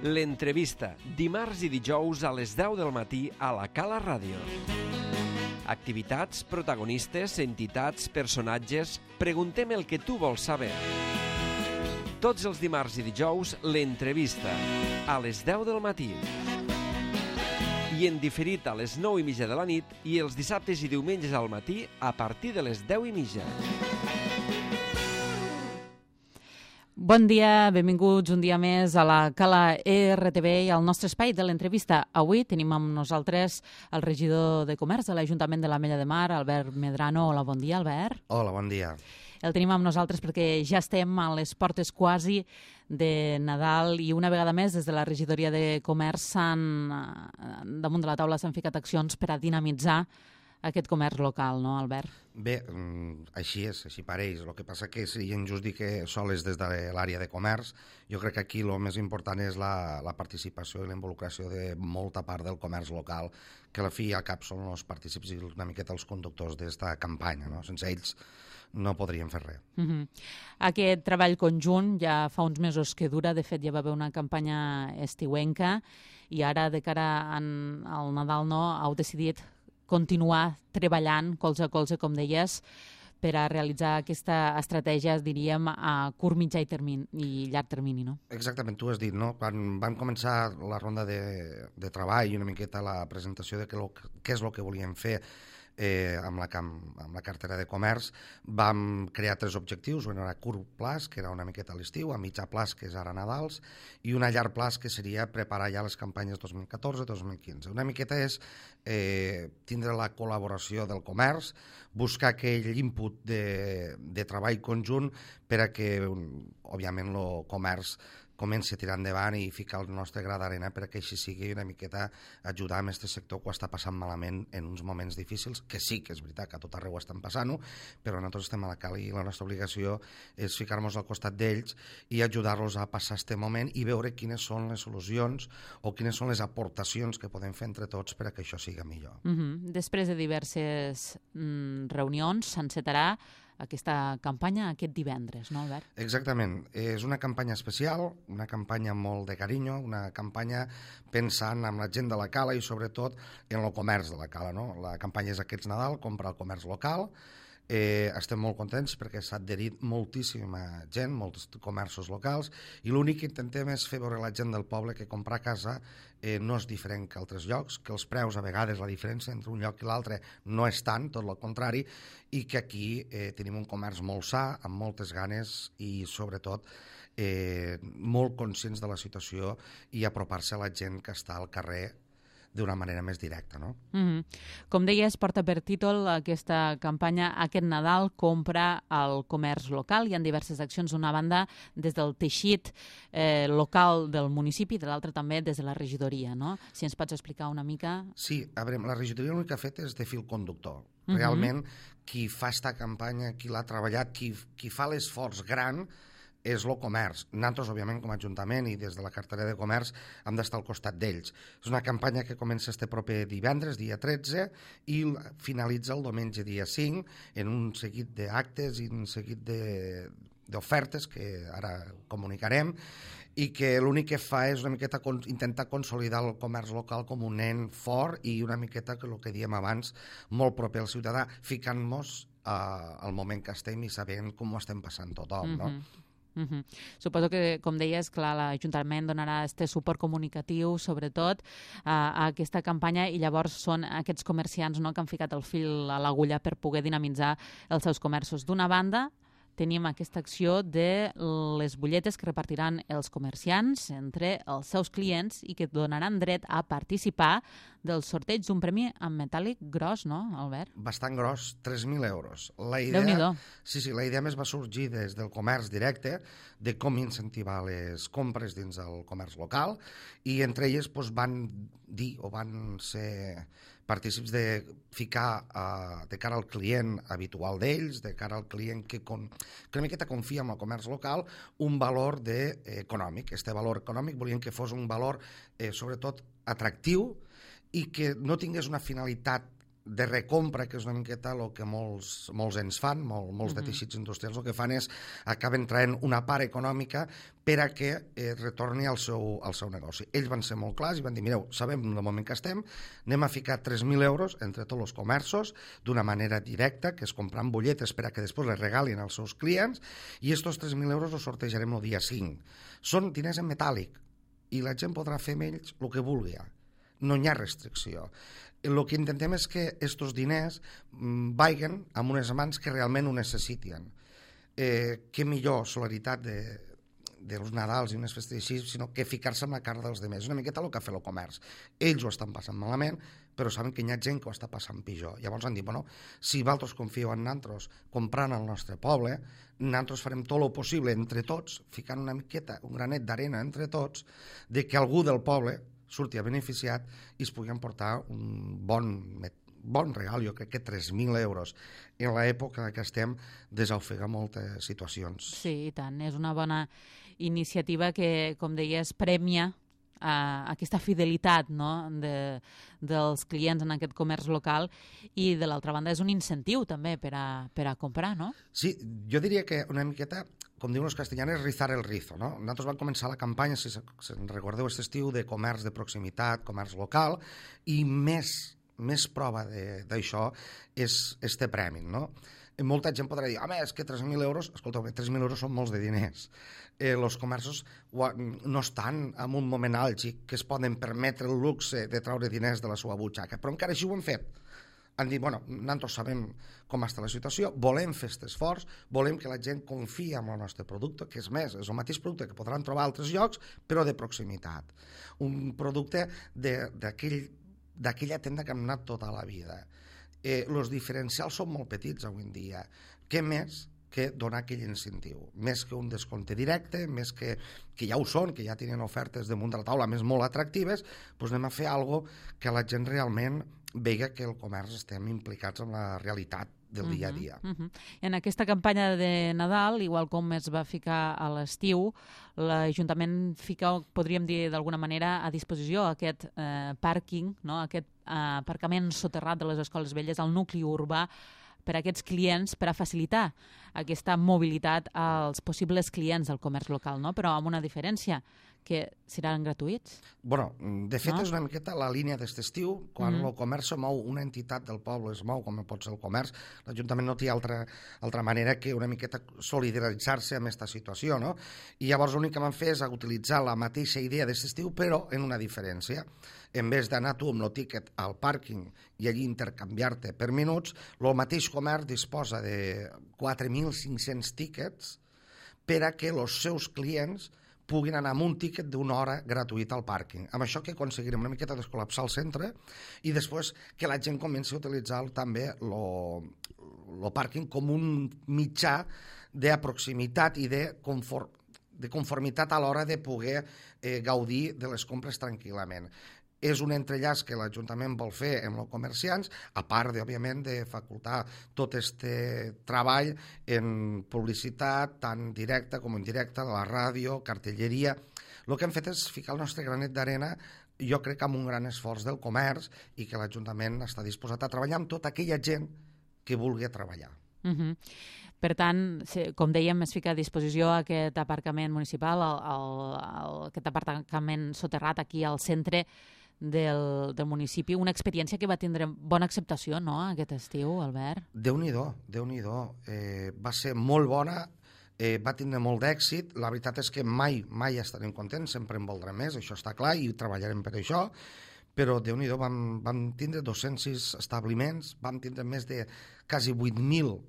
L'entrevista, dimarts i dijous a les 10 del matí a la Cala Ràdio. Activitats, protagonistes, entitats, personatges... Preguntem el que tu vols saber. Tots els dimarts i dijous, l'entrevista, a les 10 del matí. I en diferit a les 9:30 de la nit i els dissabtes i diumenges al matí a partir de les 10:30. Bon dia, benvinguts un dia més a la Cala RTV i al nostre espai de l'entrevista. Avui tenim amb nosaltres el regidor de Comerç de l'Ajuntament de l'Ametlla de Mar, Albert Medrano. Hola, bon dia, Albert. Hola, bon dia. El tenim amb nosaltres perquè ja estem a les portes quasi de Nadal i una vegada més des de la regidoria de Comerç damunt de la taula s'han ficat accions per a dinamitzar aquest comerç local, no, Albert? Bé, així és, així pareix. El que passa que seria injust dir que sols des de l'àrea de comerç. Jo crec que aquí el més important és la participació i la involucració de molta part del comerç local, que a la fi i al cap són els partícips i una miqueta els conductors d'esta campanya, no? Sense ells no podríem fer res. Aquest treball conjunt ja fa uns mesos que dura. De fet, ja va haver una campanya estiuenca i ara, de cara al Nadal, heu decidit continuar treballant colze a colze, com deies, per a realitzar aquesta estratègia, diríem, a curt, mitjà i llarg termini, no? Exactament, tu has dit, no? Quan vam començar la ronda de treball i una miqueta la presentació de què és el que volíem fer amb la cartera de comerç, vam crear 3 objectius. Un era a curt plaç, que era una miqueta a l'estiu, a mitjà plaç, que és ara Nadals, i un a llarg plaç, que seria preparar ja les campanyes 2014-2015. Una miqueta és tindre la col·laboració del comerç, buscar aquell input de treball conjunt per a que, òbviament, el comerç comenci a tirar endavant i ficar el nostre gra d'arena perquè així sigui una miqueta ajudar amb aquest sector que ho està passant malament en uns moments difícils, que sí que és veritat que a tot arreu estan passant-ho, però nosaltres estem a la Cala i la nostra obligació és ficar-nos al costat d'ells i ajudar-los a passar aquest moment i veure quines són les solucions o quines són les aportacions que podem fer entre tots per a que això sigui millor. Després de diverses reunions s'encetarà aquesta campanya aquest divendres, no, Albert? Exactament. És una campanya especial, una campanya molt de carinyo, una campanya pensant en la gent de la Cala i sobretot en el comerç de la Cala, no? La campanya és aquest Nadal, compra el comerç local. Estem molt contents perquè s'ha adherit moltíssima gent, molts comerços locals, i l'únic que intentem és fer veure a la gent del poble que comprar a casa no és diferent que altres llocs, que els preus, a vegades la diferència entre un lloc i l'altre no és tant, tot el contrari, i que aquí tenim un comerç molt sa, amb moltes ganes i sobretot molt conscients de la situació i apropar-se a la gent que està al carrer d'una manera més directa, no? Com deies, porta per títol aquesta campanya Aquest Nadal compra el comerç local. Hi ha diverses accions, d'una banda des del teixit local del municipi, de l'altra també des de la regidoria, no? Si ens pots explicar una mica... Sí, a veure, la regidoria l'únic que ha fet és de fil conductor. Realment, qui fa esta campanya, qui l'ha treballat, qui fa l'esforç gran és el comerç. Nosaltres, òbviament, com a Ajuntament i des de la cartera de comerç hem d'estar al costat d'ells. És una campanya que comença este proper divendres, dia 13, i finalitza el diumenge, dia 5, en un seguit d'actes i un seguit d'ofertes que ara comunicarem i que l'únic que fa és una miqueta intentar consolidar el comerç local com un nen fort i una miqueta, que el que diem abans, molt proper al ciutadà, ficant-nos al moment que estem i sabent com ho estem passant tothom, no? Suposo que, com deies, clar, l'Ajuntament donarà este suport comunicatiu, sobretot, a aquesta campanya, i llavors són aquests comerciants, no?, que han ficat el fil a l'agulla per poder dinamitzar els seus comerços. D'una banda, tenim aquesta acció de les butlletes que repartiran els comerciants entre els seus clients i que donaran dret a participar del sorteig d'un premi en metàl·lic gros, no, Albert? Bastant gros, 3.000 euros. Déu-n'hi-do. Sí, la idea més va sorgir des del comerç directe, de com incentivar les compres dins del comerç local, i entre elles van dir o van ser partícips de ficar de cara al client habitual d'ells, de cara al client que una miqueta confia en el comerç local, un valor econòmic. Este valor econòmic volien que fos un valor sobretot atractiu i que no tingués una finalitat de recompra, que és una miqueta el que molts ens fan, molts de teixits industrials, el que fan és acaben traient una part econòmica per a que retorni al seu negoci. Ells van ser molt clars i van dir, mireu, sabem el moment que estem, anem a ficar 3.000 euros entre tots els comerços d'una manera directa, que és comprant butlletes per a que després les regalin als seus clients, i aquests 3.000 euros els sortejarem el dia 5. Són diners en metàl·lic i la gent podrà fer amb ells el que vulgui. No hi ha restricció. El que intentem és que aquests diners vagin a unes mans que realment ho necessiten. Què millor solidaritat dels Nadals i unes festes així, sinó que ficar-se en la cara dels demés. És una miqueta el que ha fet el comerç. Ells ho estan passant malament, però saben que hi ha gent que ho està passant pitjor. Llavors han dit, bueno, si vosaltres confieu en nosaltres comprant al nostre poble, nosaltres farem tot el possible entre tots, ficant una miqueta, un granet d'arena entre tots, de que algú del poble surti a beneficiat i es pugui emportar un bon regal. Jo crec que 3.000 euros en l'època que estem desofega moltes situacions. Sí, i tant. És una bona iniciativa que, com deies, premia aquesta fidelitat, no?, dels clients en aquest comerç local, i de l'altra banda és un incentiu també per a comprar, no? Sí, jo diria que una miqueta, com diuen els castellanes, rizar el rizo, no? Nosaltres vam començar la campanya, si recordeu, aquest estiu, de comerç de proximitat, comerç local, i més prova d'això és este premi, no? Molta gent podrà dir, home, és que 3.000 euros, escolteu, 3.000 euros són molts de diners. Els comerços no estan en un moment àlgid que es poden permetre el luxe de treure diners de la seva butxaca, però encara així ho han fet. Han dit, bueno, nosaltres sabem com està la situació, volem fer aquest esforç, volem que la gent confia en el nostre producte, que és més, és el mateix producte que podran trobar a altres llocs, però de proximitat. Un producte d'aquella tenda que hem anat tota la vida. Els diferencials són molt petits avui en dia. Què més que donar aquell incentiu? Més que un descompte directe, més que ja ho són, que ja tenen ofertes damunt de la taula més molt atractives, doncs anem a fer alguna cosa que la gent realment vega que el comerç estem implicats en la realitat del dia a dia. En aquesta campanya de Nadal, igual com es va ficar a l'estiu, l'Ajuntament fica, podríem dir d'alguna manera, a disposició aquest pàrquing, no?, aquest aparcament soterrat de les escoles velles al nucli urbà per a aquests clients, per a facilitar aquesta mobilitat als possibles clients del comerç local, no?, però amb una diferència, que seran gratuïts. Bueno, de fet, és una miqueta la línia d'aquest estiu, quan el comerç se mou, una entitat del poble es mou, com pot ser el comerç, l'Ajuntament no té altra manera que una miqueta solidaritzar-se amb aquesta situació, no? I llavors l'únic que van fer és utilitzar la mateixa idea d'aquest estiu, però en una diferència. En vez d'anar tu amb el tíquet al pàrquing i allí intercanviar-te per minuts, el mateix comerç disposa de 4.500 tíquets per a que els seus clients puguin anar amb un tíquet d'una hora gratuït al pàrquing. Amb això que aconseguirem una miqueta descol·lapsar el centre i després que la gent comenci a utilitzar també el pàrquing com un mitjà de proximitat i de conformitat a l'hora de poder gaudir de les compres tranquil·lament. És un entrellaç que l'Ajuntament vol fer amb els comerciants, a part, òbviament, de facultar tot aquest treball en publicitat, tant directa com indirecta, de la ràdio, cartelleria. El que hem fet és ficar el nostre granet d'arena, jo crec, amb un gran esforç del comerç i que l'Ajuntament està disposat a treballar amb tota aquella gent que vulgui treballar. Per tant, com dèiem, es fica a disposició aquest aparcament municipal, aquest aparcament soterrat aquí al centre del municipi, una experiència que va tindre bona acceptació, no?, aquest estiu, Albert? Déu-n'hi-do. Va ser molt bona, va tindre molt d'èxit. La veritat és que mai estarem contents, sempre en voldrem més, això està clar, i treballarem per això, però Déu-n'hi-do, vam tindre 206 establiments, vam tindre més de quasi 8.000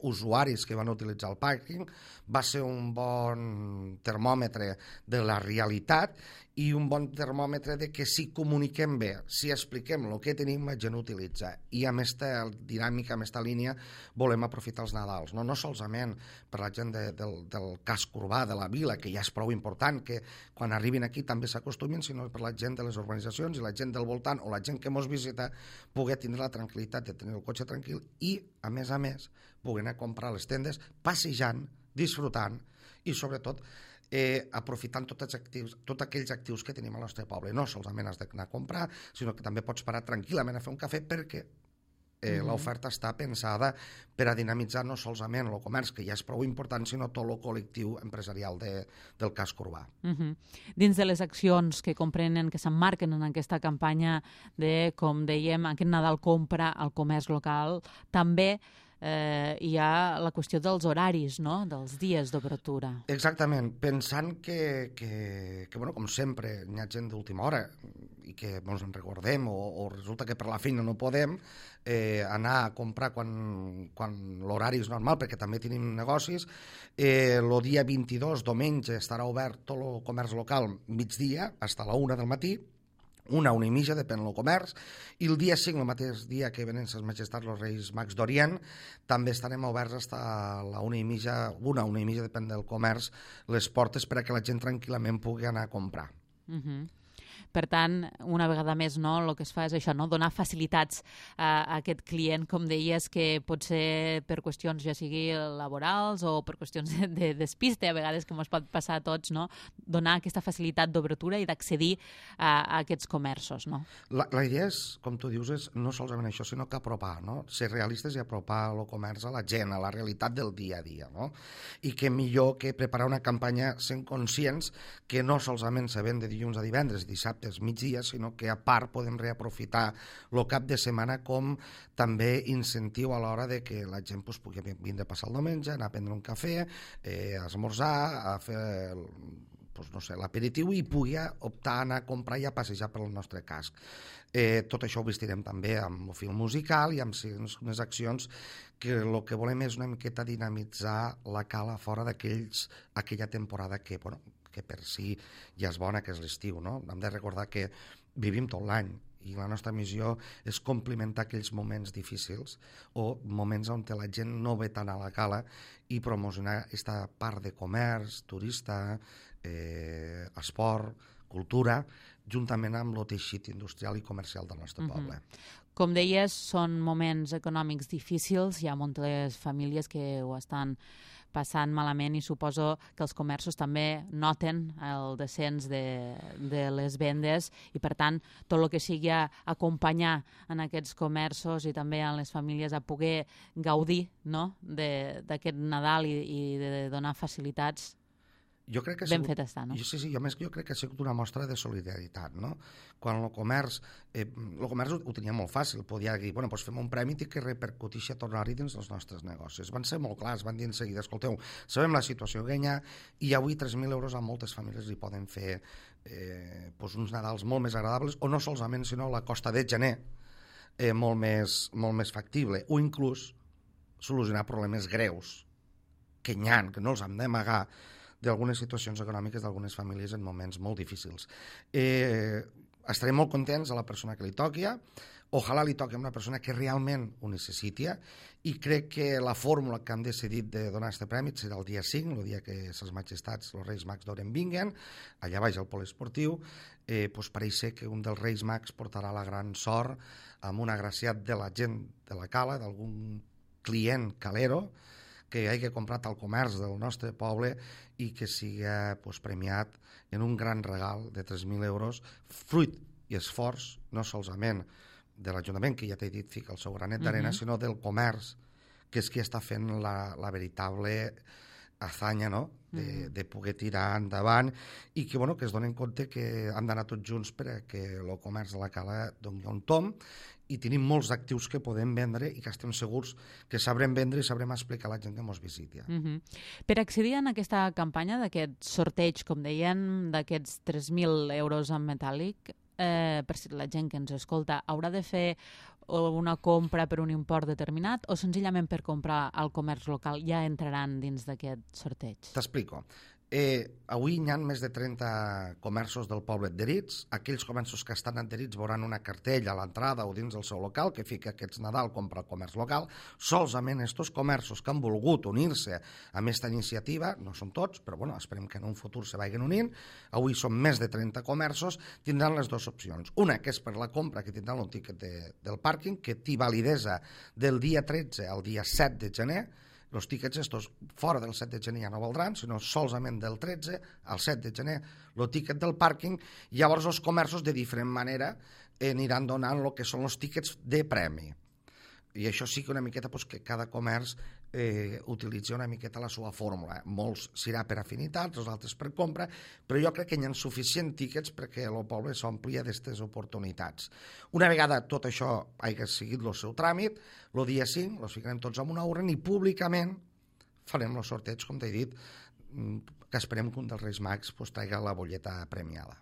usuaris que van utilitzar el pàrquing. Va ser un bon termòmetre de la realitat i un bon termòmetre de que si comuniquem bé, si expliquem el que tenim, la gent utilitza. I amb aquesta dinàmica, amb aquesta línia, volem aprofitar els Nadals. No solament per la gent del casc urbà de la vila, que ja és prou important, que quan arribin aquí també s'acostumin, sinó per la gent de les urbanitzacions i la gent del voltant o la gent que ens visita poder tindre la tranquil·litat de tenir el cotxe tranquil i, a més, poder anar a comprar a les tendes, passejant, disfrutant i, sobretot, aprofitant tots aquells actius que tenim al nostre poble. No solament has d'anar a comprar, sinó que també pots parar tranquil·lament a fer un cafè perquè l'oferta està pensada per a dinamitzar no solament el comerç, que ja és prou important, sinó tot el col·lectiu empresarial del casc urbà. Dins de les accions que comprenen, que s'emmarquen en aquesta campanya de, com dèiem, aquest Nadal compra al comerç local, també hi ha la qüestió dels horaris, no?, dels dies d'obertura. Exactament, pensant que com sempre, hi ha gent d'última hora i que ens en recordem o resulta que per la feina no podem anar a comprar quan l'horari és normal, perquè també tenim negocis. El dia 22, diumenge, estarà obert tot el comerç local migdia, fins a la 1 del matí, 1 i mitja, depèn del comerç, i el dia 5, el mateix dia que venen ses majestats els Reis Mags d'Orient, també estarem oberts fins a la 1 i mitja, depèn del comerç, les portes per a que la gent tranquil·lament pugui anar a comprar. Per tant, una vegada més, no, el que es fa és això, no? Donar facilitats a aquest client, com deies, que pot ser per qüestions ja sigui laborals o per qüestions de despiste, a vegades que ens pot passar a tots, no? Donar aquesta facilitat d'obertura i d'accedir a aquests comerços, no? La idea és, com tu dius, és no solament això, sinó que apropar, no? Ser realistes i apropar el comerç a la gent, a la realitat del dia a dia, no? I que millor que preparar una campanya sent conscients que no solament se ven de dilluns a divendres, dissabtes, migdia, sinó que a part podem reaprofitar el cap de setmana com també incentiu a l'hora de que la gent pugui vindre a passar el diumenge, anar a prendre un cafè, a esmorzar, a fer l'aperitiu i pugui optar a anar a comprar i a passejar pel nostre casc. Tot això ho vestirem també amb el film musical i amb unes accions que el que volem és una miqueta dinamitzar la cala fora d'aquella temporada que per si ja és bona, que és l'estiu, no? Hem de recordar que vivim tot l'any i la nostra missió és complimentar aquells moments difícils o moments on la gent no ve tant a la cala i promocionar aquesta part de comerç, turista, esport, cultura, juntament amb el teixit industrial i comercial del nostre poble. Com deies, són moments econòmics difícils, hi ha moltes famílies que ho estan passant malament i suposo que els comerços també noten el descens de les vendes i, per tant, tot el que sigui acompanyar en aquests comerços i també en les famílies a poder gaudir, no?, d'aquest Nadal i de donar facilitats. Ben fet està, no? Sí, jo crec que ha sigut una mostra de solidaritat, no? Quan el comerç ho tenia molt fàcil, podia dir, fem un premi i que repercuteixi a tornar-hi dins dels nostres negocis. Van ser molt clars, van dir en seguida, escolteu, sabem la situació que hi ha i avui 3.000 euros a moltes famílies li poden fer uns Nadals molt més agradables, o no solament, sinó la costa de gener molt més factible, o inclús solucionar problemes greus que hi ha, que no els hem d'amagar, d'algunes situacions econòmiques d'algunes famílies en moments molt difícils. Estarem molt contents a la persona que li toqui, ojalà li toqui a una persona que realment ho necessiti, i crec que la fórmula que han decidit de donar aquest premi serà el dia 5, el dia que ses majestats, els Reis Mags d'Orient vinguen, allà baix al poliesportiu, pareix ser que un dels Reis Mags portarà la gran sort amb un agraciat de la gent de la cala, d'algun client calero, que hagi comprat al comerç del nostre poble i que sigui premiat en un gran regal de 3.000 euros, fruit i esforç, no solament de l'Ajuntament, que ja t'he dit, fica el seu granet d'arena, sinó del comerç, que és qui està fent la veritable hazaña, no?, de poder tirar endavant i que es donen compte que han d'anar tots junts perquè el comerç de la cala doni un tomb, i tenim molts actius que podem vendre i que estem segurs que sabrem vendre i sabrem explicar a la gent que ens visiti. Per accedir a aquesta campanya d'aquest sorteig, com deien, d'aquests 3.000 euros en metàl·lic, per si la gent que ens escolta haurà de fer una compra per un import determinat o senzillament per comprar al comerç local ja entraran dins d'aquest sorteig? T'explico. Avui hi ha més de 30 comerços del poble adherits. Aquells comerços que estan adherits veuran una cartella a l'entrada o dins del seu local que fica aquests Nadal compra el comerç local. Solament estos comerços que han volgut unir-se a aquesta iniciativa, no són tots, però esperem que en un futur se vagin unint, avui són més de 30 comerços, tindran les dues opcions. Una, que és per la compra, que tindran un tiquet del pàrquing, que té validesa del dia 13 al dia 7 de gener, Els tíquets estos fora del 7 de gener ja no valdran, sinó solament del 13 al 7 de gener el tíquet del pàrquing, i llavors els comerços de diferent manera aniran donant el que són els tíquets de premi. I això sí que una miqueta que cada comerç utilitza una miqueta la seva fórmula. Molts serà per afinitats, els altres per compra, però jo crec que hi ha suficients tíquets perquè el poble s'omplia d'aquestes oportunitats. Una vegada tot això hagi seguit el seu tràmit, el dia 5 els ficarem tots en una urna i públicament farem el sorteig, com t'he dit, que esperem que un dels Reis Mags traiga la butlleta premiada.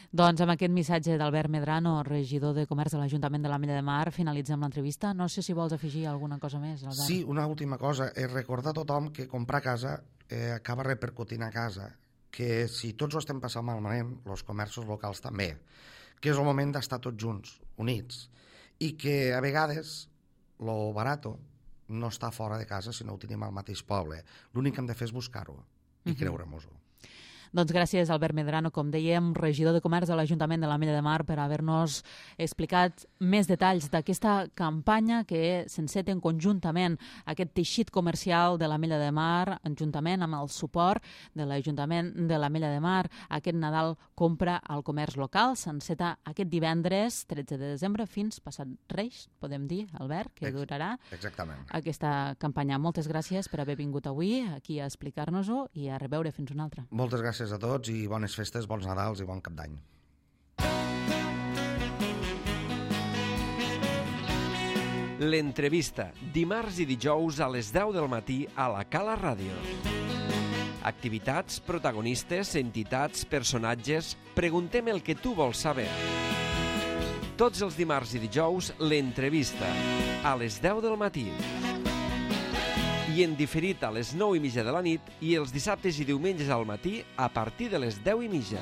Doncs amb aquest missatge d'Albert Medrano, regidor de Comerç de l'Ajuntament de l'Ametlla de Mar, finalitzem l'entrevista. No sé si vols afegir alguna cosa més, Albert. Sí, una última cosa. Recordar a tothom que comprar casa acaba repercutint a casa, que si tots ho estem passant malament, els comerços locals també, que és el moment d'estar tots junts, units, i que a vegades lo barato no està fora de casa si no ho tenim al mateix poble. L'únic que hem de fer és buscar-ho i creure-nos-ho. Doncs gràcies, Albert Medrano, com dèiem, regidor de Comerç de l'Ajuntament de l'Ametlla de Mar, per haver-nos explicat més detalls d'aquesta campanya que s'enceten conjuntament aquest teixit comercial de l'Ametlla de Mar, juntament amb el suport de l'Ajuntament de l'Ametlla de Mar. Aquest Nadal compra al comerç local, s'enceta aquest divendres 13 de desembre fins passat Reis, podem dir, Albert, que durarà aquesta campanya. Moltes gràcies per haver vingut avui aquí a explicar-nos-ho i a reveure fins una altra. Moltes gràcies a tots i bones festes, bons Nadals i bon Cap d'Any. L'entrevista, dimarts i dijous a les 10 del matí a la Cala Ràdio. Activitats, protagonistes, entitats, personatges... Preguntem el que tu vols saber. Tots els dimarts i dijous, l'entrevista, a les 10 del matí. I en diferit a les 9:30 de la nit i els dissabtes i diumenges al matí a partir de les 10:30.